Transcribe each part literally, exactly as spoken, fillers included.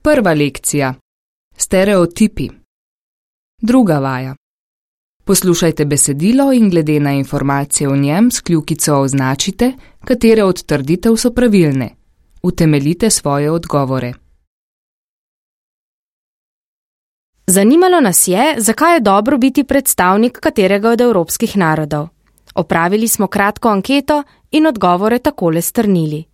Prva lekcija. Stereotipi. Druga vaja. Poslušajte besedilo in glede na informacije v njem s kljukico označite, katere od trditev so pravilne. Utemeljite svoje odgovore. Zanimalo nas je, zakaj je dobro biti predstavnik katerega od evropskih narodov. Opravili smo kratko anketo in odgovore takole strnili.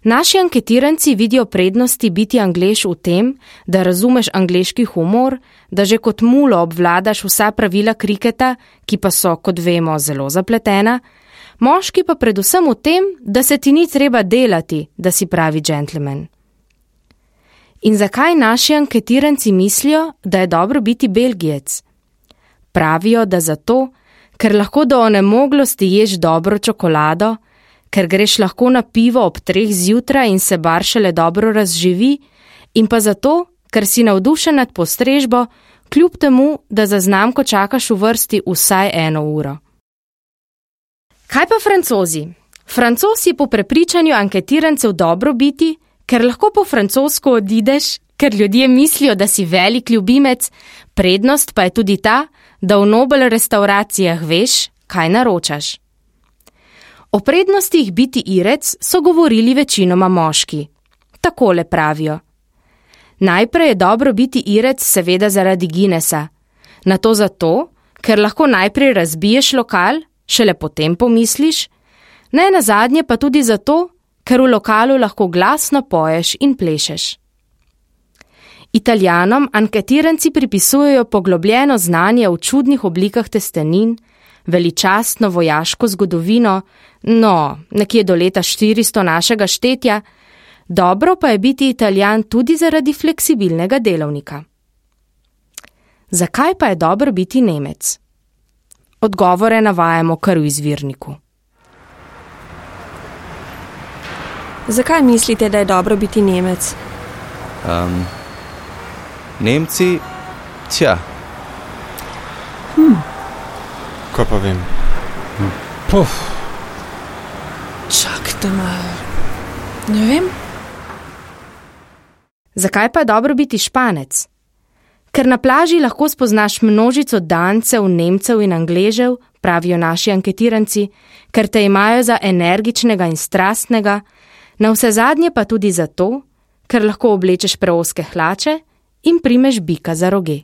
Naši anketiranci vidijo prednosti biti Anglež v tem, da razumeš angleški humor, da že kot mulo obvladaš vsa pravila kriketa, ki pa so, kot vemo, zelo zapletena, moški pa predvsem v tem, da se ti ni treba delati, da si pravi džentelmen. In zakaj naši anketiranci mislijo, da je dobro biti Belgijec? Pravijo, da zato, ker lahko do onemoglosti ješ dobro čokolado, ker greš lahko na pivo ob treh zjutraj in se bar šele dobro razživi, in pa zato, ker si navdušen nad postrežbo, kljub temu, da za znamko čakaš v vrsti vsaj eno uro. Kaj pa Francozi? Francoz je po prepričanju anketirancev dobro biti, ker lahko po francosko odideš, ker ljudje mislijo, da si velik ljubimec, prednost pa je tudi ta, da v Nobel restauracijah veš, kaj naročaš. O prednostih biti Irec so govorili večinoma moški. Takole pravijo. Najprej je dobro biti Irec seveda zaradi Guinnessa, nato zato, ker lahko najprej razbiješ lokal, šele potem pomisliš, ne nazadnje pa tudi zato, ker v lokalu lahko glasno poješ in plešeš. Italijanom anketiranci pripisujejo poglobljeno znanje v čudnih oblikah testenin, veličastno vojaško zgodovino, no, nekje do leta štiristo našega štetja, dobro pa je biti Italijan tudi zaradi fleksibilnega delovnika. Zakaj pa je dobro biti Nemec? Odgovore navajamo kar v izvirniku. Zakaj mislite, da je dobro biti Nemec? Um, Nemci, tja. Hm. Kaj pa vem? Hm. Puf. Čakajte malo. Ne vem. Zakaj pa je dobro biti Španec? Ker na plaži lahko spoznaš množico Dancev, Nemcev in Angležev, pravijo naši anketiranci, ker te imajo za energičnega in strastnega, na vse zadnje pa tudi zato, ker lahko oblečeš preozke hlače in primeš bika za roge.